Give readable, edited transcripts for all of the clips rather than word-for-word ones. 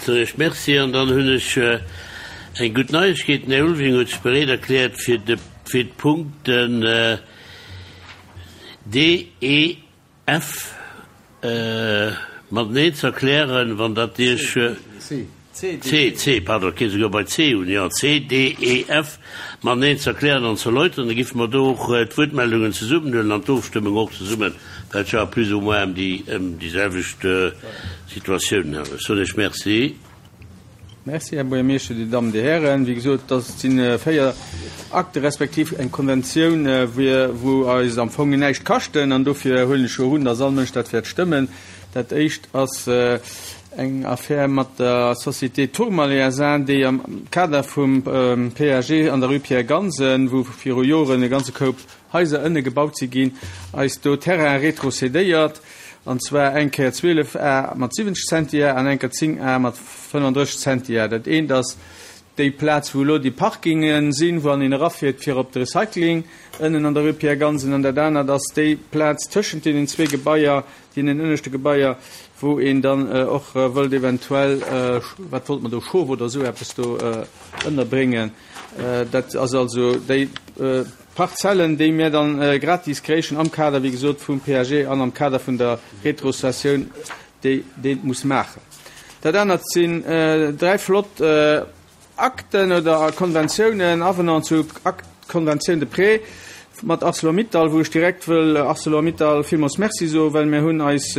Soen ech Merci. An dann hunn ech eng gutt Neiegkeet, Den Här Ulveling huet sech bereet erkläert, fir de, fir d'Punkten D, E, F mateneen ze erklären, wann dat Iech. C. C, C, pardon, et geet esouguer bei C un, jo, C, D, E, F mateneen ze erklären an ze erläutern. Da géife mer do och d'Wuertmeldungen zesummenhuelen an d'Ofstëmmung och zesummen, well et jo plus ou moins ëm déi, ëm déi selwecht Situatiounen handelt. Ech soen Iech Merci. Merci, Här Buergermeeschter, Dir Dammen, Dir Hären. Wéi gesot, dat si 4 Akte respektiv eng Konventioun, wou eis am Fong näischt kaschten. An dofir huelen ech jo un, dass all Mënsch dat wäert stëmmen. Dat éischt ass eng Affär mat der Société Tourmalet SA, déi am Kader vum PAG an der Rue Pierre Gansen, wou viru Joren e ganze Koup Haiser ënne gebaut si ginn, eis do Terrain retrocédéiert, an zwar eng Kéier 12 Ar mat 70 Zentiar an eng Kéier 10 Ar mat 35 Zentiar. Dat eent ass déi Plaz, wou elo déi Parkinge sinn, wou an een erafiert fir op de Recycling ënnen an der Rue Pierre Gansen, an dat anert ass déi Plaz tëschent deenen zwee Gebaier, deenen ënneschte Gebaier, wou een dann och wëllt eventuell, wat wollt mer do, Schof oder esou eppes do ënnerbréngen. Dat ass also déi. Parzellen, déi mir dann gratis kréichen am Kader, wéi gesot, vum PAG an am Kader vun der Retrocessioun, déi dee muss maachen. Dat anert sinn dräi flott Akten oder Konventiounen, Avenant zu Akt Conventioun de prêt mat Arcelor-Mittal, wou ech direkt wëll Arcelor-Mittal villmools Merci soen, well mir hunn eis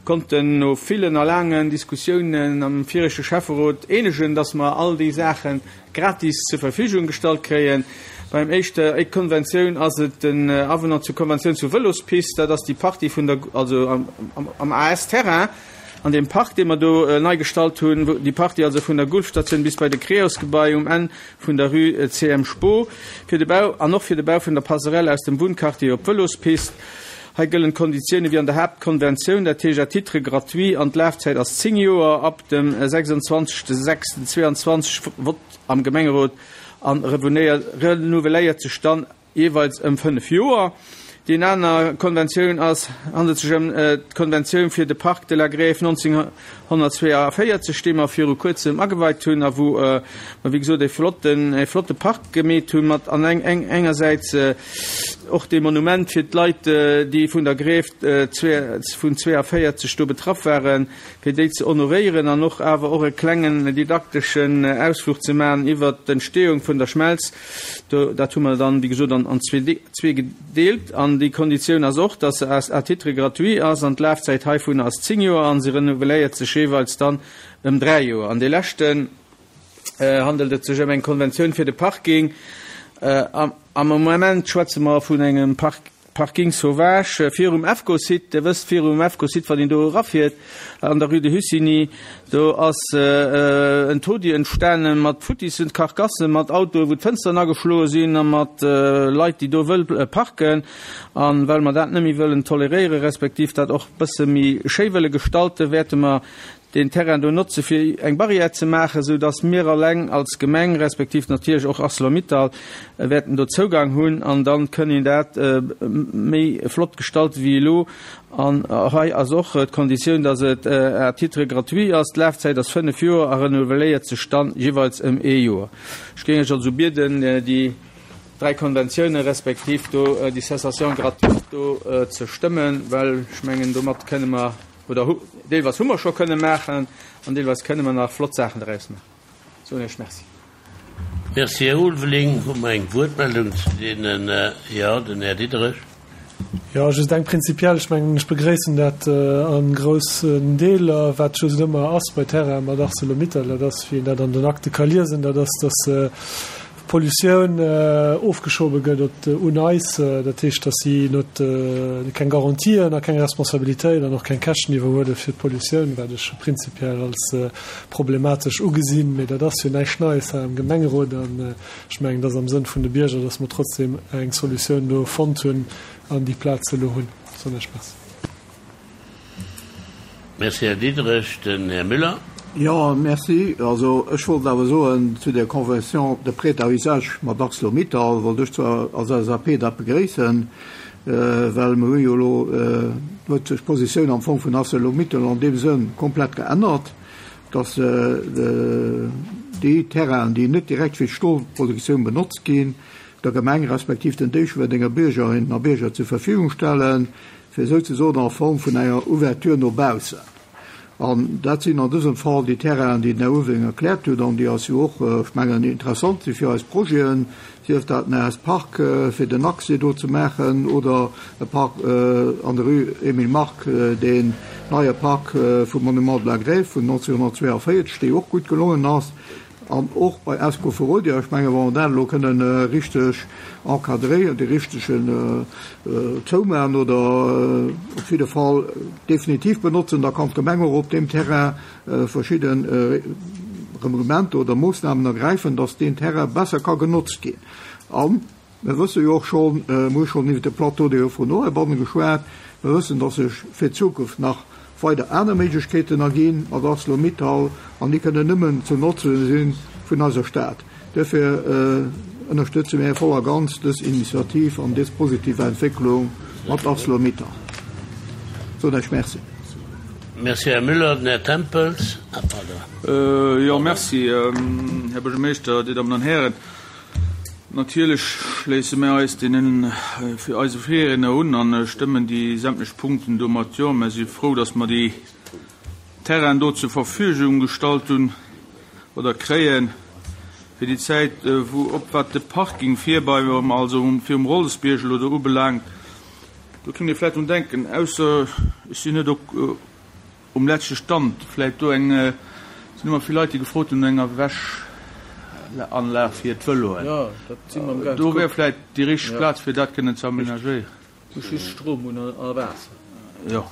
konnten no villen a laangen Diskussiounen am viregte Schäfferot eenegen, dass mer all déi Saachen gratis zur Verfügung gestallt kréien. Beim éischter éi Konventioun ass et den Avenant zur Konventioun zur Vëlospist. Dat ass déi Partie vun der, also am AS-Terrain, an deem Park, dee mer do nei gestallt hunn, wou déi Partie also vun der Gulfstatioun bis bei de Creos-Gebai um Enn vun der Rue CM Spoo, fir de Bau an och fir de Bau vun der Passerelle aus dem Wunnquartier op d'Vëlospist. Hei gëllen d'Konditioune wéi an der Haaptkonventioun, dat heescht à titre gratuit an d'Lafzäit ass 10 Joer ab dem 26.06.22, Vott am Gemengerot, a renouveléiert sech dann jeeweils ëm 5 Joer. Déi aner Konventioun ass handelt sech ëm d'Konventioun fir de Parc de la Grève 1942, déi mer viru kuerzem ageweit hunn a wou mer wéi gesot e flotten, e flotte Park gemeet hunn mat an engersäits Och dee Monument fir d'Leit, déi vun der Grève vun 42 do betraff waren, fir déi ze honoréieren an och awer och e klengen didakteschen Ausfluch ze maachen iwwert d'Entstehung vun der Schmelz. Do, dat hu mer dann, wéi gesot, an zwee gedeelt. An déi Konditioun ass och, dass se à titre gratuit ass an d'Lafzäit heivunner ass 10 Joer an se renouveléiert sech jeeweils dann ëm 3 Joer. An dee leschten. handelt et sech ëm eng Konventioun fir de Parking. Am Moment schwätze mer vun engem Parking sauvage virum EFCO-Site. Dir wësst, virum EFCO-Site, wann een do erafiert an der Rue de Hussigny, do ass en Taudis entstane mat futtissen Karkassen, mat Autoen, wou d'Fënsteren ageschloe sinn a mat Leit, déi do wëll parken. A well mer dat net méi wëllen toleréieren, respektiv dat och e bësse méi schéi wëlle gestalten, wäerte mer deen Terrain do notze fir eng Barrière ze maachen, esou dass mir alleng als Gemeng, respektiv natierlech och Arcelor-Mittal wäerten do Zougang hunn an dann kënn een dat méi flott gestalten wéi elo. An hei ass och d'Konditioun, dass et à titre gratuit ass, d'Lafzäit ass 5 Joer a renouveléiert sech dann jeeweils ëm ee Joer. Ech géing Iech also bieden, déi dräi Konventiounen respektiv do déi Cessation gratuite do ze stëmmen, well ech mengen, domat kënne mer, Oder hu, deelweis hu mer scho kënne maachen an deelweis kënne mer nach flott Saachen draus maachen. Soen Iech Merci. Merci, Här Ulveling. Hu mer eng Wuertmeldung zu deenen? Jo, den Här Diderich. Jo, just eng prinzipiell. Ech mengen, ech begréissen dat a groussen Deeler, wat just ëmmer ass bei Terrainen mat Arcelor-Mittal, dat ass, wéi een dat an den Akte ka liesen, dat ass, dass d'Pollutioun ofgeschobe gëtt op un eis, dat heescht, datt si net keng Garantien a keng Responsabilitéit an och keng Käschten iwwerhuele fir d'Pollutioun, wat ech prinzipiell als problematesch ugesinn. Mee dat ass jo näischt Neies hei am Gemengerot an ech mengen, et ass am Sënn vun de Bierger, datt mer trotzdem eng Solutioun do fonnt hunn an déi Plaz elo hunn. Soen ech Merci. Merci, Här Diderich. Den Här Müller. Jo, merci. Also ech wollt awer soen, zu där Convention de prêt à usage mat Arcelor-Mittal wollt ech zwar als LSAP dat begréissen, well mer hu jo elo, huet sech d'Positioun am Fong vun Arcelor-Mittal an deem Sënn komplett geännert. dass déi Terrainen, déi net direkt fir d'Stolproduktioun benotzt ginn, der Gemeng respektiv den Déiffwerdenger Biergerinnen a Bierger zur Verfügung stellen, fir souzesoen a Form vun enger Ouverture no baussen. An dat sinn an dësem Fall déi Terrainen, déi den Här Ulveling erkläert huet an déi eis jo och, ech mengen, interessant si fir eis Projeten, sief dat den AS Park, fir den Accès do ze maachen, oder e Park an der Rue Emile Mark, deen neie Park vum Monument de la Grève vun 1942, dee jo och gutt gelongen ass. An och bei Esco Ferodia, ech mengen, wa mer dat elo kënnen richteg encadréieren, dee richtegen zoumaachen oder op jidde Fall definitiv benotzen, da kann d'Gemeng och op deem Terrain verschidde Reglementer oder Moossnamen ergräifen, dass deen Terrain besser ka genotzt ginn. An Mir wësse jo och schonn, mir hu schonn iwwer de Plateau de Haut-Fourneau heibanne geschwat, mir wëssen, dass sech fir d'Zukunft nach weider aner Méiglechkeeten erginn mat Arcelor-Mittal, an déi kënnen nëmmen zum Notze si vun eiser Stad. Duerfir ënnerstëtze mir voll a ganz dës Initiativ an dës positiv Entwécklung mat Arcelor-Mittal. Soen Iech Merci. Merci, Här Müller. Den Här Tempels. Ah, pardon. Jo, merci, Här Buergermeeschter, Dir Dammen an Hären. Natierlech schléisse mär eis deenen fir eise Virriedner un a stëmmen déi sämtlech Punkten do mat Jo. Mär si frou, dass mer déi Terrainen do zur Verfügung gestallt hunn oder kréien fir déi Zäit, wou op wat de Parking vir bei, also virum Rollesbierg elo do ubelaangt, do kéint ee vläicht drun denken, ausser ech sinn net op, Um leschte Stand vläit do eng, et sinn ëmmer vill Leit déi gefrot hunn no enger Wäschanlag fir d'Vëloen. Do wär vläit déi richteg Plaz fir dat kënnen ze aménagéieren. Muss just Stroum hunn a Waasser. Jo,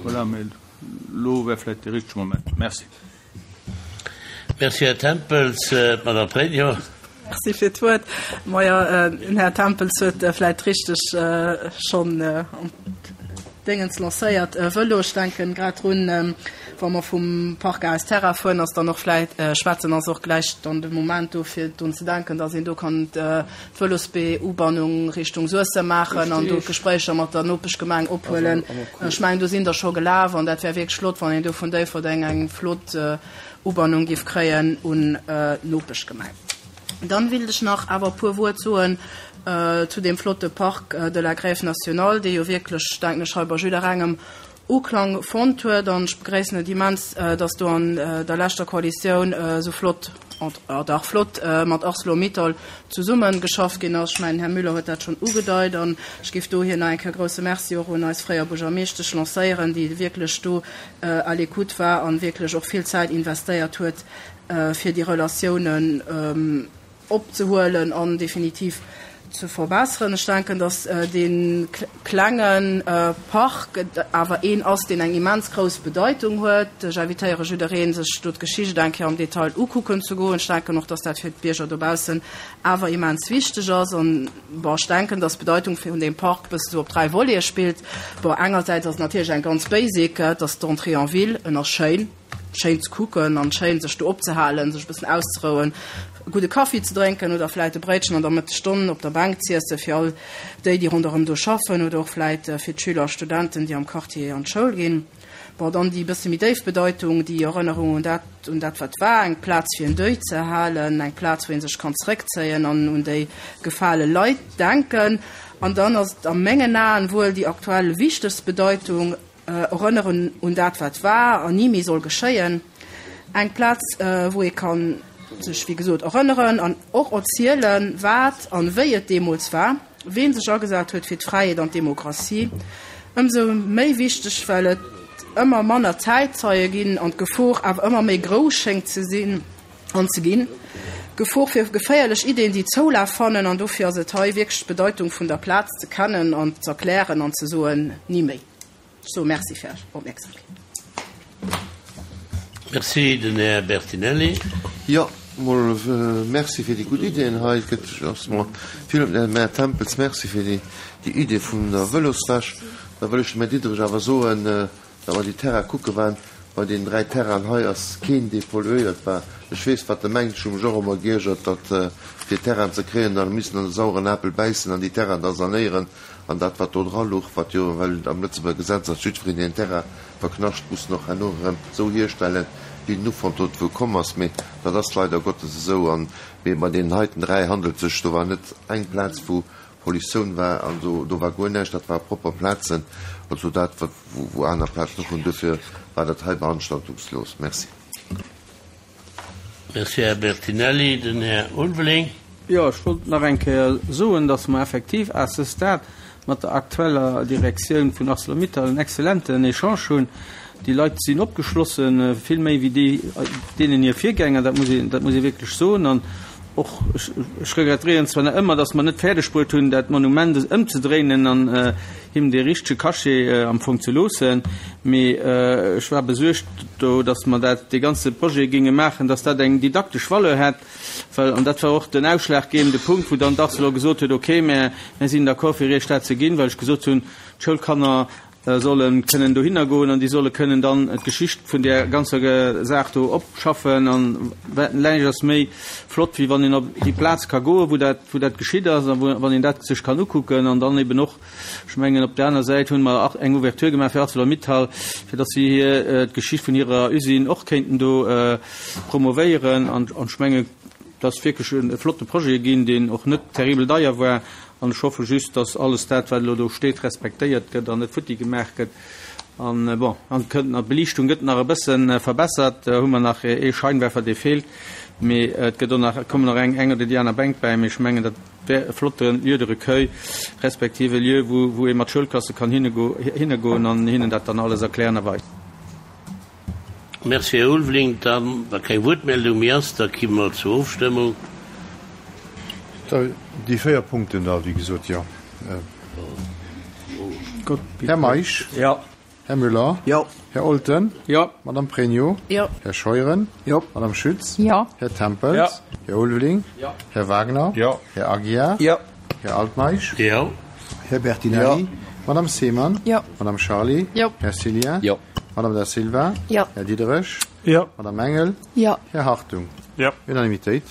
voilà, mee elo wär vläit dee richtege Moment. Merci. Merci, Här Tempels. D'Madame Pregno. Merci fir d'Wuert. Majo, den Här Tempels huet vläicht richteg schonn an d'Déngens lancéiert. Vëlo, ech denken grad drun, wa mer vum Parc AS Terra fueren, ass dann och vläicht schwätzen, ass och gläich dann de Moment do fir drun ze denken, dass een do kann d'Vëlosbee-Ubannung Richtung Suessem maachen an do d'Gespréicher mat der Nopeschgemeng ophuelen. Ech mengen, do sinn der scho gelaf an dat wär wierklech flott, wann een do vun Déifferdeng eng flott Ubannung géif kréien un d'Nopeschgemeng. Dann willt ech nach awer e puer Wuert soen zu deem flotte Parc de la Grève nationale, dee jo wierklech, denken ech, hei bei jidderengem Uklang fonnt huet. An ech begréissen et immens, dass do an der leschter Koalitioun esou flott, dach flott, mat Arcelor-Mittal zesummegeschafft ginn ass. Ech mengen, Här Müller huet dat schonn ugedeit. An ech géif dohier nach eng Kéier e grouse Merci och un eis fréier Buergermeeschtesch lancéieren, déi wierklech do à l'écoute war an wierklech och vill Zäit investéiert huet, fir déi Relatiounen opzehuelen an definitiv ze verbesseren. Ech denken, dass dee klenge Park awer een ass, deen eng immens grouss Bedeitung huet. Ech invitéiere jiddereen, sech do d'Geschicht eng Kéier am Detail ukucken ze goen. Ech denken och, dass dat fir d'Bierger dobaussen awer immens wichteg ass. An, bon, ech denken, dass d'Bedeitung vun deem Park e bësse sou op 3 Volete spillt. Bon, engersäits ass et natierlech eng ganz basic, et ass d'Entrée en ville, en ass schéin. Schéin ze kucken an schéin sech do opzehalen, sech e bëssen auszerouen, e gudde Kaffi ze drénken oder vläit e Bréitchen an der Mëttesstonn op der Bänk z'iessen, fir all déi, déi ronderëm do schaffen oder och vläit fir d'Schüler a Studenten, déi am Quartier an d'Schoul ginn. Bon, dann déi e bësse méi déif Bedeitung, déi Erënnerung un dat, un dat wat war, eng Plaz fir en Deuil ze halen, eng Plaz wou ee sech kann zeréckzéien an un déi gefale Leit denken. An dann ass et a mengen Aen wuel déi aktuell wichtegst Bedeitung, Erënneren un dat wat war an ni méi soll geschéien. Eng Plaz wou ee kann sech wéi gesot erënneren an och erzielen wat an wéi et deemools war, ween sech agesat huet fir d'Fräiheet an d'Demokratie. Ëmsou méi wichteg well et ëmmer manner Zäitzeie ginn an d'Gefor awer ëmmer méi grouss schéngt ze sinn an ze ginn. Gefor fir geféierlech Ideen déi Zoulaf fannen an dofir ass et hei wierklech d'Bedeitung vun der Plaz ze kennen an z'erklären an ze soen ni méi. Ech soe Merci fir Är Opmierksamkeet. Merci. Den Här Bertinelli. Jo, mol Merci fir déi gutt Ideeën hei. Et gëtt ass mer vill op den Här Tempels Merci fir déi Idee vun der Vëloswäsch. Da wëll ech dem Här Diderich awer soen, datt mer déi Terraine kucke waren. Bei deenen 3 Terrainen hei ass keen, dee polluéiert war. Ech weess, wat e mengt. Ech hu mech och ëmmer geiergert, datt fir Terrainen ze kréien, da missen an de saueren Apel bäissen an déi Terrainen da sanéieren. An dat, wat do dra luch, wat jo, well et am Lëtzebuerger Gesetz ass, jiddwereen, deen en Terrain verknascht, muss en och herno erëm esou hierstellen. Wéi den Ufank dozou komm ass, mee dat ass leider Gottes esou. An mee bei deenen heiten 3 handelt sech, do war net eng Plaz wou Pollutioun war an do do war guer näischt, dat ware propper Plazen, also dat wat wou aner Plazen och hunn. Duerfir war dat hei beanstaltungslos. Merci. Merci, Här Bertinelli. Den Här Ulveling. Jo, ech wollt nach eng Kéier soen, dass mer effektiv à ce stade mat der aktueller Direktioun vun Arcelor-Mittal en exzellenten Echange hunn. Déi Leit sinn opgeschlossen, vill méi wéi déi, deenen hir Virgänger, dat muss een, dat muss ee wierklech soen. An och ech, ech regrettéieren zwar nach ëmmer, dass mer net fäerdeg bruet hunn, dat Monument ëmzedréinen an him dee richtege Cachet am Fong ze loossen, mee ech war besuergt do, dass mer dat, dee ganze Projet géinge maachen, dass dat eng didaktesch Valeur hätt. Well, an dat war och den ausschlaggebende Punkt, wou dann d'Arcelor gesot huet, okay, mä mir sinn d'accord fir Iech dat ze ginn, well ech gesot hunn, d'Schoulkanner solle kënnen dohinner goen an déi solle kënnen dann d'Geschicht vun där ganzer Saach do opschaffen. An näischt ass méi flott, wéi wann een op déi Plaz ka goen, wou dat, wou dat geschitt ass a wou, wann een dat sech kann ukucken an dann eben och, ech mengen, op där aner Säit hunn mer eng Ouverture gemaach fir Arcelor-Mittal, fir datt si hir, d'Geschicht vun hirer Usine och kéinten do promovéieren. An ech mengen, et ass wierklech e flotte Projet ginn, deen och net terribel deier war. An ech hoffe just, datt alles dat, wat elo do steet, respektéiert gëtt an net futti gemaach gëtt. An, bon, an et kënnt nach, d'Beliichtung gëtt nach e bësse verbessert, do hu mer nach ee Scheinwerfer, dee feelt. Mee et gëtt och nach, et kommen nach eng, eng oder déi aner Bänk bäi. Mee ech mengen, dat wär e flotte Lieu de recueil, respektiv e Lieu, wou, wou ee mat Schoulklasse kann hinnegoen an hinnen dat dann alles erklären a weisen. Merci, Här Ulveling. Dann, wa keng Wuertmeldung méi ass, da ki mer zur Ofstëmmung. Da déi 4 Punkten da, wéi gesot, jo. Här Meisch. Jo. Här Müller. Jo. Här Olten. Jo. Madame Pregno. Jo. Här Scheuren. Jo. Madame Schütz. Jo. Här Tempels. Jo. Här Ulveling. Jo. Här Wagner. Jo. Här Aguiar. Jo. Här Altmeisch. Jo. Här Bertinelli. Jo. Madame Seemann. Jo. Madame Charly. Jo. Här Cillien. Jo. Madame Da Silva. Jo. Här Diderich. Jo. Madame Engel. Jo. Här Hartung. Jo. Unanimitéit.